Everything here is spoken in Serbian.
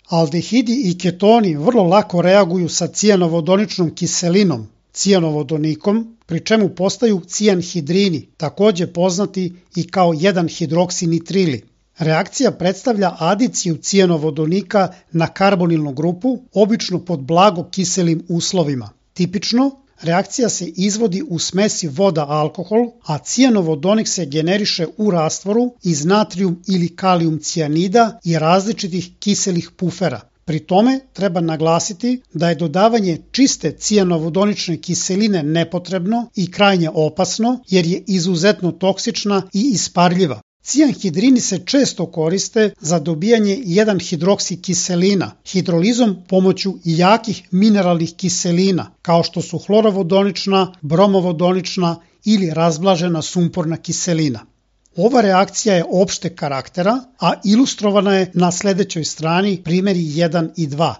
Aldehidi i ketoni vrlo lako reaguju sacijanovodoničnom kiselinom,cijanovodonikom, pri čemu postaju cijanhidrini, takođe poznati i kao 1-hidroksinitrili. Reakcija predstavlja adicijucijanovodonika na karbonilnu grupu, obično pod blago kiselim uslovima. Tipično, reakcija se izvodi u smesi voda-alkohol, acijanovodonik se generiše u rastvoru iz natrijum ili kalijum cijanida i različitih kiselih pufera. Pri tome treba naglasiti da je dodavanje čistecijanovodonične kiseline nepotrebno i krajnje opasno jer je izuzetno toksična i isparljiva. Cijanhidrini se često koriste za dobijanje 1-hidroksikiselina hidrolizom pomoću jakih mineralnih kiselina kao što su hlorovodonična, bromovodonična ili razblažena sumporna kiselina. Ova reakcija je opšteg karaktera, a ilustrovana je na sledećoj strani primjeri 1 i 2.